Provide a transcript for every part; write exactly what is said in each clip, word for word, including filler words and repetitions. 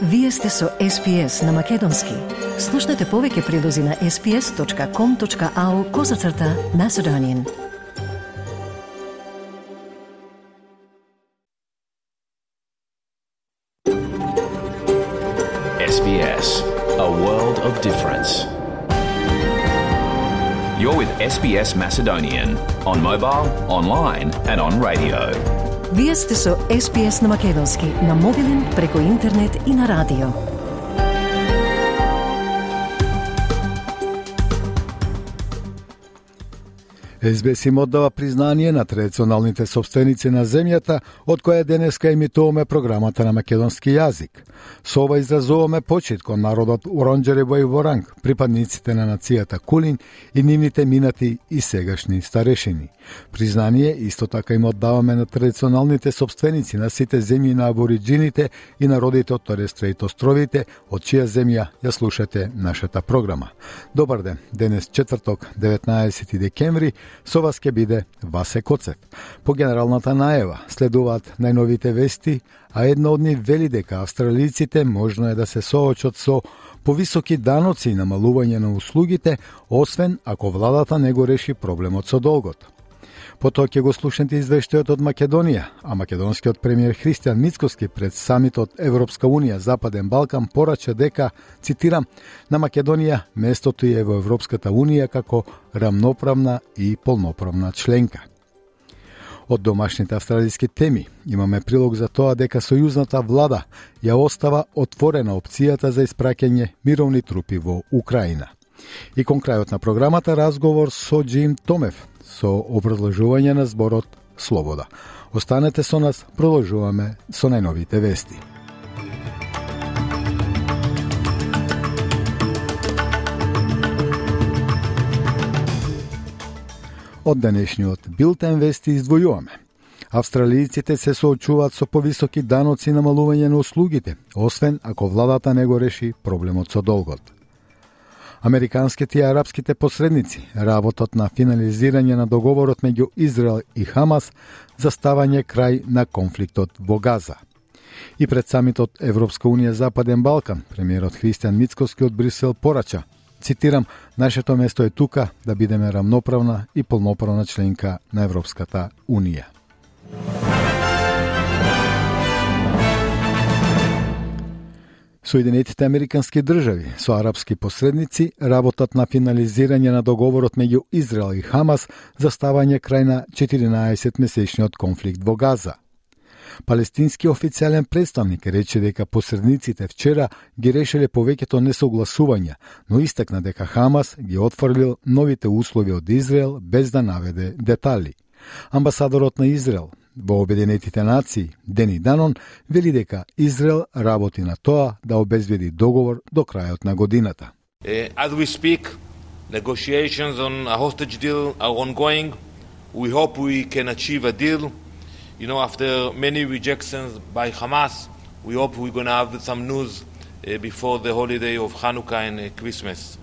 Вие сте со Ес Би Ес на Македонски. Слушнете повеќе прилози на ес би ес точка ком точка ау козацрта Macedonian. Ес Би Ес, a world of difference. You're with Ес Би Ес Macedonian on mobile, online and on radio. Вие сте со Ес Би Ес на Македонски, на мобилен, преку интернет и на радио. Ес Би Ес им оддава признание на традиционалните собственици на земјата, од која денеска емитуваме програмата на македонски јазик. Со ова изразуваме почит кон народот Уронџерево и Воранг, припадниците на нацијата Кулин и нивните минати и сегашни старешини. Признание исто така им оддаваме на традиционалните собственици на сите земји на абориджините и народите од Торес Стрейт островите, од чија земја ја слушате нашата програма. Добар ден, денес четврток, деветнаесети декември, со вас ќе биде Васе Коцев. По генералната најава следуваат најновите вести, а една од нив вели дека австралиците можно е да се соочат со повисоки даноци и намалување на услугите, освен ако владата не го реши проблемот со долгот. Потоа ќе го слушнете извештајот од Македонија, а македонскиот премиер Христијан Мицкоски пред самитот Европска Унија Западен Балкан порача дека, цитирам, на Македонија местото е во Европската Унија како рамноправна и полноправна членка. Од домашните австралиски теми имаме прилог за тоа дека сојузната влада ја остава отворена опцијата за испраќање мировни трупи во Украина. И кон крајот на програмата разговор со Джим Томев со образложување на зборот Слобода. Останете со нас, продолжуваме со најновите вести. Од денешниот билтен вести издвојуваме. Австралијците се соочуваат со повисоки даноци и намалување на услугите, освен ако владата не го реши проблемот со долгот. Американските и арапските посредници работат на финализирање на договорот меѓу Израел и Хамас за ставање крај на конфликтот во Газа. И пред самитот Европска Унија Западен Балкан, премиерот Христијан Мицкоски од Брисел порача, цитирам, нашето место е тука да бидеме рамноправна и полноправна членка на Европската Унија. Соединетите американски држави со арапски посредници работат на финализирање на договорот меѓу Израел и Хамас за ставање крај на четиринаесетмесечниот конфликт во Газа. Палестински официјален представник рече дека посредниците вчера ги решиле повеќето несогласувања, но истакна дека Хамас ги отфрлил новите услови од Израел без да наведе детали. Амбасадорот на Израел во Обединетите нации, Дени Данон, вели дека Израел работи на тоа да обезбеди договор до крајот на годината. Uh, as we speak, negotiations on a hostage deal are ongoing. We hope we can achieve a deal. You know, after many rejections by Hamas, we hope we're going to have some news uh, before the holiday of Hanukkah and uh, Christmas.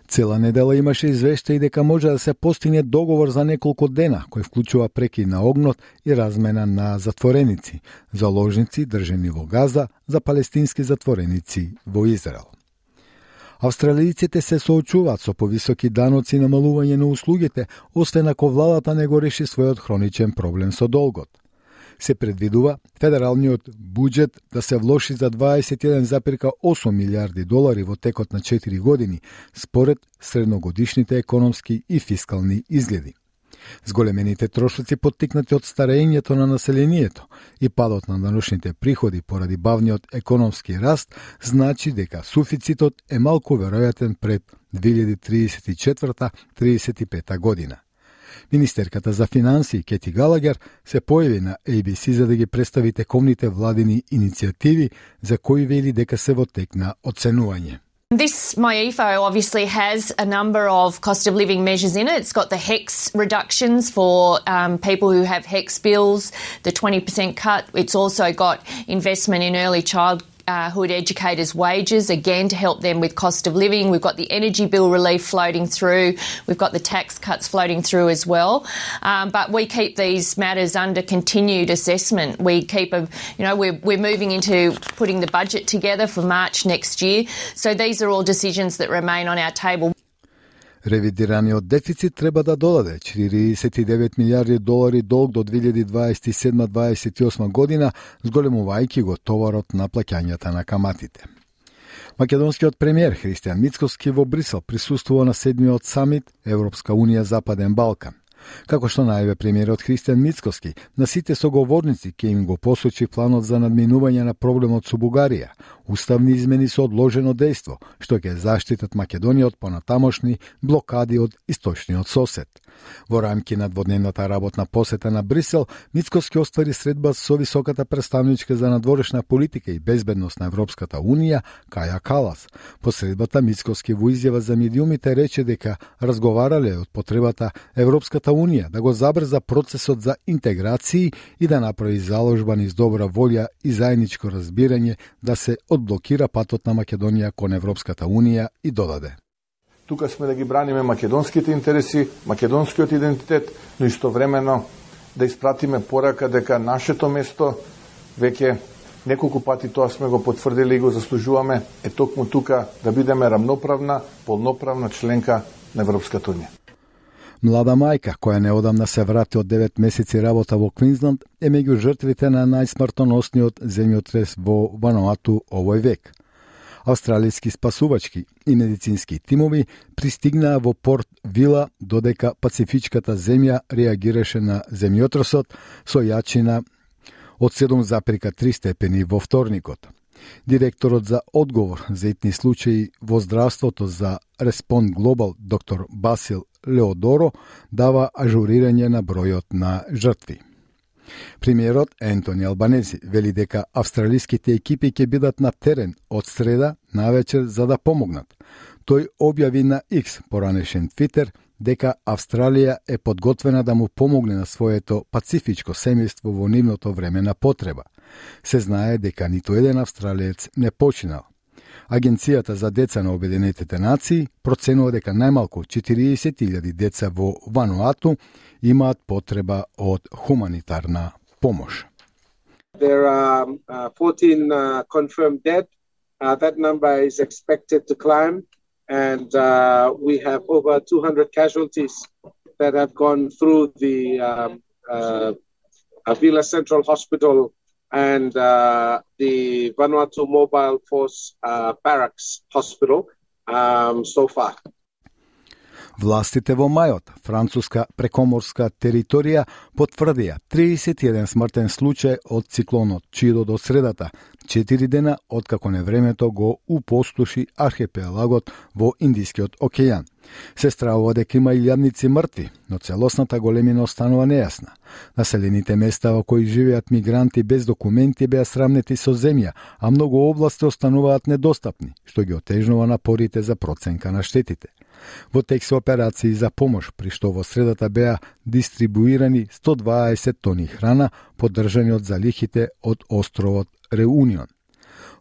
Цела недела имаше извештаи дека може да се постигне договор за неколку дена, кој вклучува прекид на огнот и размена на затвореници, заложници држени во Газа, за палестински затвореници во Израел. Австралијците се соочуваат со повисоки даноци и намалување на услугите, освен ако владата не го реши својот хроничен проблем со долгот. Се предвидува федералниот буџет да се влоши за дваесет и еден зарез и осум милијарди долари во текот на четири години, според средногодишните економски и фискални изгледи. Зголемените трошоци поттикнати од старењето на населението и падот на даношните приходи поради бавниот економски раст значи дека суфицитот е малку веројатен пред две илјади триесет и четврта - триесет и пета година. Министерката за финансии Кети Галагер се појави на Ей Би Си за да ги представи тековните владини иницијативи за кои вели дека се во тек на оценување. This MyEFO obviously has a number of cost of living measures in it. It's got the HECS reductions for um, people who have HECS bills, the twenty percent cut. It's also got investment in early child uh, hood educators' wages, again to help them with cost of living. We've got the energy bill relief floating through. We've got the tax cuts floating through as well. Um, but we keep these matters under continued assessment. We keep a, you know, we're, we're moving into putting the budget together for March next year. So these are all decisions that remain on our table. Ревидираниот дефицит треба да додаде четириесет и девет милиарди долари долг до две илјади дваесет и седма дваесет и осма година, зголемувајќи го товарот на плаќањата на каматите. Македонскиот премиер Христијан Мицкоски во Брисел присуствува на седмиот самит Европска унија Западен Балкан. Како што најаве премиерот Христијан Мицкоски, на сите соговорници ќе им го посочи планот за надминување на проблемот со Бугарија, уставни измени со одложено дејство, што ќе заштитат Македонија од понатамошни блокади од источниот сосед. Во рамки на дводневната работна посета на Брисел, Мицкоски оствари средба со високата представничка за надворешна политика и безбедност на Европската унија, Каја Калас. По средбата Мицкоски во изјава за медиумите рече дека разговарале од потребата Европската унија да го забрза процесот за интеграции и да направи заложба низ добра волја и заедничко разбирање да се одблокира патот на Македонија кон Европската унија и додаде: Тука сме да ги браниме македонските интереси, македонскиот идентитет, но истовремено да испратиме порака дека нашето место, веќе неколку пати тоа сме го потврдили и го заслужуваме, е токму тука да бидеме рамноправна, полноправна членка на Европската унија. Млада мајка, која неодамна се врати од девет месеци работа во Квинсленд, е меѓу жртвите на најсмртоносниот земјотрес во Вануату овој век. Австралијски спасувачки и медицински тимови пристигнаа во Порт Вила додека Пацифичката земја реагираше на земјотресот со јачина од седум запирка три степени во вторникот. Директорот за одговор за итни случаи во здравството за Respond Global, доктор Басил Леодоро, дава ажурирање на бројот на жртви. Премиерот Ентони Албанези вели дека австралиските екипи ќе бидат на терен од среда навечер за да помогнат. Тој објави на X, поранешен Твитер, дека Австралија е подготвена да му помогне на своето пацифичко семејство во нивното време на потреба. Се знае дека ниту еден австралиец не починал. Агенцијата за деца на Обединетите нации проценува дека најмалку четириесет илјади деца во Вануату имаат потреба од хуманитарна помош. There are uh, fourteen uh, confirmed dead. Uh, that number is expected to climb, and uh, we have over two hundred casualties that have gone through the um, uh, Avila Central Hospital and uh, the Vanuatu Mobile Force uh, Barracks Hospital um, so far. Властите во мајот, француска прекоморска територија, потврдија триесет и еден смртен случај од циклонот Чидо до средата, четири дена откако невремето го упустоши архипелагот во Индискиот океан. Се стравува дека има илјадници мртви, но целосната големина останува нејасна. Населените места во кои живеат мигранти без документи беа срамнети со земја, а многу области остануваат недостапни, што ги отежнува напорите за проценка на штетите. Во тек се операции за помош, при што во средата беа дистрибуирани сто дваесет тони храна, поддржани од залихите од островот Реунион.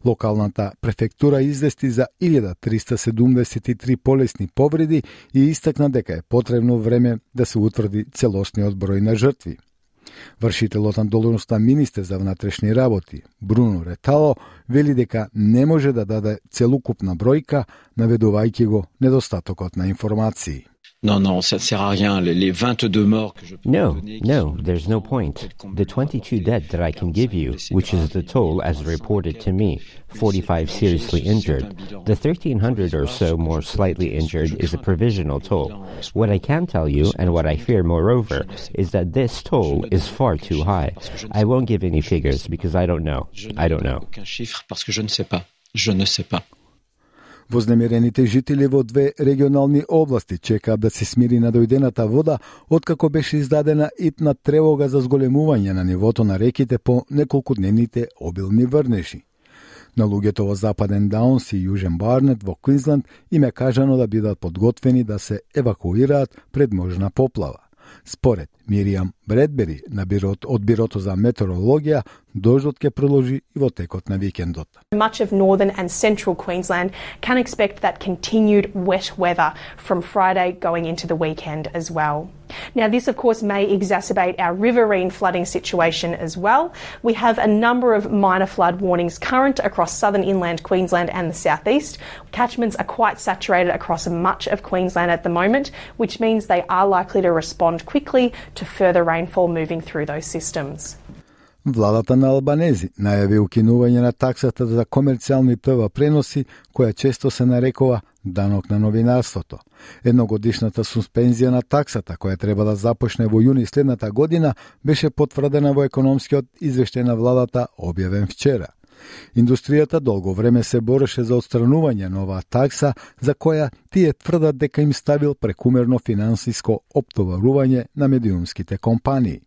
Локалната префектура извести за илјада триста седумдесет и три полесни повреди и истакна дека е потребно време да се утврди целосниот број на жртви. Вршителот на должноста министер за внатрешни работи, Бруно Ретало, вели дека не може да даде целокупна бројка, наведувајќи го недостатокот на информации. Non, non, ça ne sert à rien. Les, les vingt-deux morts que je peux No, donner, no, there's no point. The twenty-two dead that I can give you, which is the toll as reported to me, forty-five seriously injured. The thirteen hundred or so more slightly injured is a provisional toll. What I can tell you, and what I fear moreover, is that this toll is far too high. I won't give any figures because I don't know. I don't know. aucun chiffre parce que je ne sais pas. Je ne sais pas. Вознемирените жители во две регионални области чекаат да се смири надојдената вода, откако беше издадена итна тревога за зголемување на нивото на реките по неколкудневните обилни врнежи. На луѓето во Западен Даунс и Јужен Барнет во Квинсленд им е кажано да бидат подготвени да се евакуираат пред можна поплава. Според Миријам Бредбери на бирот, од Бирото за метеорологија, дождот ќе продолжи и во текот на викендот. Much of northern and central Queensland can expect that continued wet weather from Friday going into the weekend as well. Now, this, of course, may exacerbate our riverine flooding situation as well. We have a number of minor flood warnings current across southern inland Queensland and the southeast. Catchments are quite saturated across much of Queensland at the moment, which means they are likely to respond quickly to further rainfall moving through those systems. Владата на Албанези најави укинување на таксата за комерцијални ТВ преноси, која често се нарекува данок на новинарството. Едногодишната суспензија на таксата, која треба да започне во јуни следната година, беше потврдена во економскиот извештај на владата, објавен вчера. Индустријата долго време се бореше за отстранување на оваа такса, за која тие тврдат дека им ставил прекумерно финансиско оптоварување на медиумските компании.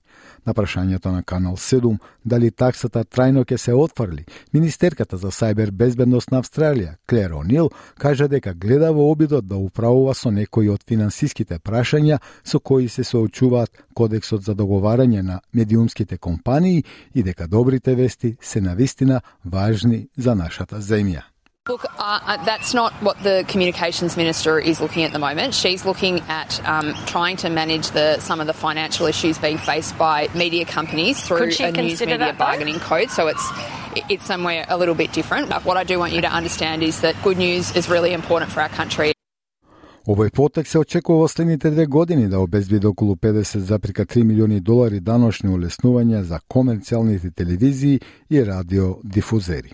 На прашањето на Канал седум дали таксата трајно ќе се отфрли, министерката за сајбер безбедност на Австралија, Клер О'Нил, кажа дека гледа во обидот да управува со некои од финансиските прашања со кои се соочуваат Кодексот за договарање на медиумските компании и дека добрите вести се навистина важни за нашата земја. Look, uh, that's not what the Communications Minister is looking at the moment. She's looking at um, trying to manage the, some of the financial issues being faced by media companies through a news media bargaining code. So it's it's somewhere a little bit different. But what I do want you to understand is that good news is really important for our country. Овој потек се очекува во следните две години да обезбеди околу педесет зарез три милиони долари даночни улеснувања за комерцијалните телевизии и радиодифузери.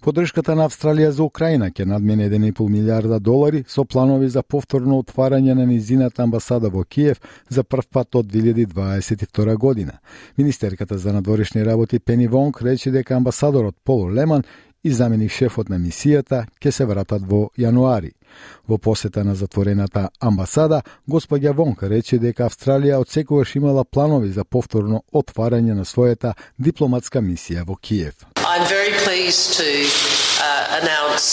Поддршката на Австралија за Украина ќе надмине еден и пол милијарда долари со планови за повторно отварање на низината амбасада во Киев за прв пат од две илјади дваесет и втора година. Министерката за надворешни работи Пени Вонг рече дека амбасадорот Пол Леман и заменик шефот на мисијата ќе се вратат во јануари. Во посета на затворената амбасада, господја Вонг рече дека Австралија отсекогаш имала планови за повторно отварање на својата дипломатска мисија во Киев. I'm very pleased to uh, announce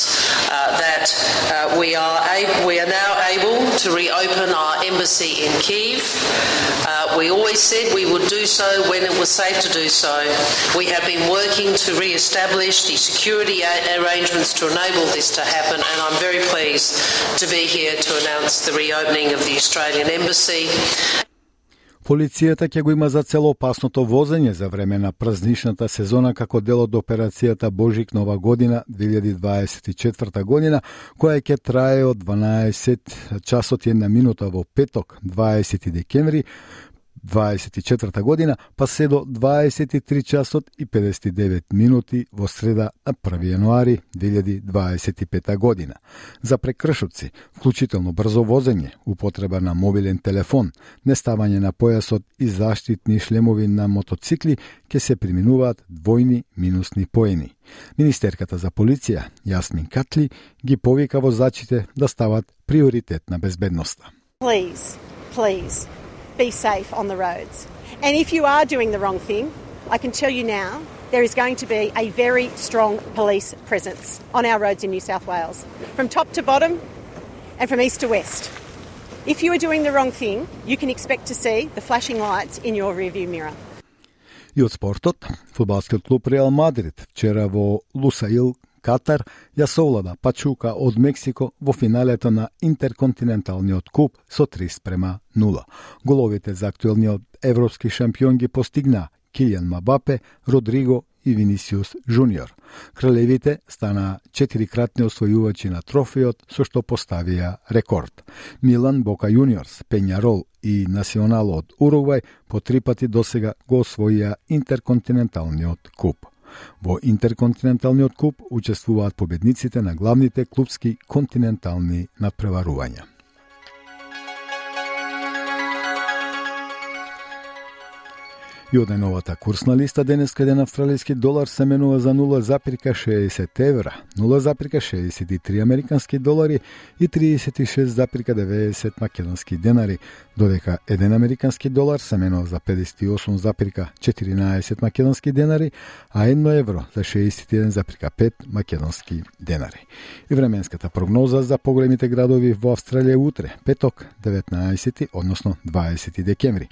uh, that uh, we are able, we are now able to reopen our embassy in Kyiv. Uh, we always said we would do so when it was safe to do so. We have been working to re-establish the security arrangements to enable this to happen, and I'm very pleased to be here to announce the reopening of the Australian embassy. Полицијата ќе го има за цел опасното возење за време на празничната сезона како дел од операцијата Божик Нова година две илјади дваесет и четврта година, која ќе трае од дванаесет часот и една минута во петок, дваесети декември дваесет и четврта година, па се до дваесет и три часот и педесет и девет минути во среда на први јануари две илјади дваесет и пета година. За прекршоци, вклучително брзо возење, употреба на мобилен телефон, неставање на појасот и заштитни шлемови на мотоцикли ќе се приминуваат двојни минусни поени. Министерката за полиција, Јасмин Катли, ги повика возачите да стават приоритет на безбедноста. Please, please. Be safe on the roads. And if you are doing the wrong thing, I can tell you now, there is going to be a very strong police presence on our roads in New South Wales, from top to bottom and from east to west. If you are doing the wrong thing, you can expect to see the flashing lights in your rearview mirror. И од спортот, фудбалскиот клуб Реал Мадрид вчера во Лусаил, Катар, ја совлада Пачука од Мексико во финалето на Интерконтиненталниот куп со три спрема нула. Головите за актуелниот европски шампион ги постигна Килијан Мбапе, Родриго и Винисиус Жуниор. Кралевите стана четирикратни освојувачи на трофејот, со што поставија рекорд. Милан, Бока Јуниорс, Пењарол и Национал од Уругвај по три пати досега го освоија Интерконтиненталниот куп. Во Интерконтиненталниот куп учествуваат победниците на главните клупски континентални надпреварувања. И од најновата курсна листа денеска еден австралиски долар се менува за нула запирка шеесет евра, нула запирка шеесет и три американски долари и триесет и шест запирка деветдесет македонски денари, додека еден американски долар се менува за педесет и осум запирка четиринаесет македонски денари, а едно евро за шеесет и еден запирка пет македонски денари. И временската прогноза за поголемите градови во Австралија утре, петок, деветнаесети, односно дваесети декември.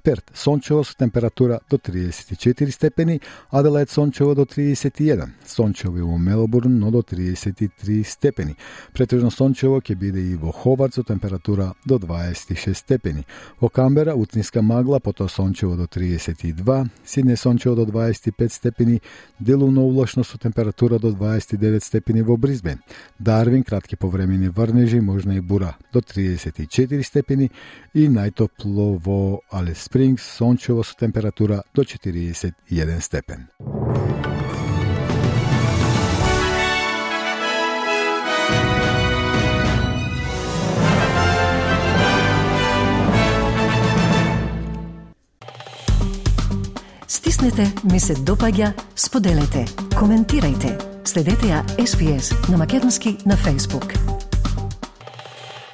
Перт сончево со температура до триесет и четири степени, Аделаид сончево до триесет и еден, сончево и во Мелбурн, но до триесет и три степени. Претежно сончево ќе биде и во Хобарт со температура до дваесет и шест степени. Во Камбера утниска магла, потоа сончево до триесет и два, Сиднеј сончево до дваесет и пет степени, делумно облачно со температура до дваесет и девет степени во Брисбен. Дарвин кратки повремени врнежи, можна и бура до триесет и четири степени и најтопло во Алис Спрингс сончево со температура до четириесет и еден степен. Стиснете, ми се допаѓа, споделете, коментирајте. Следете ја Ес Би Ес на македонски на Facebook.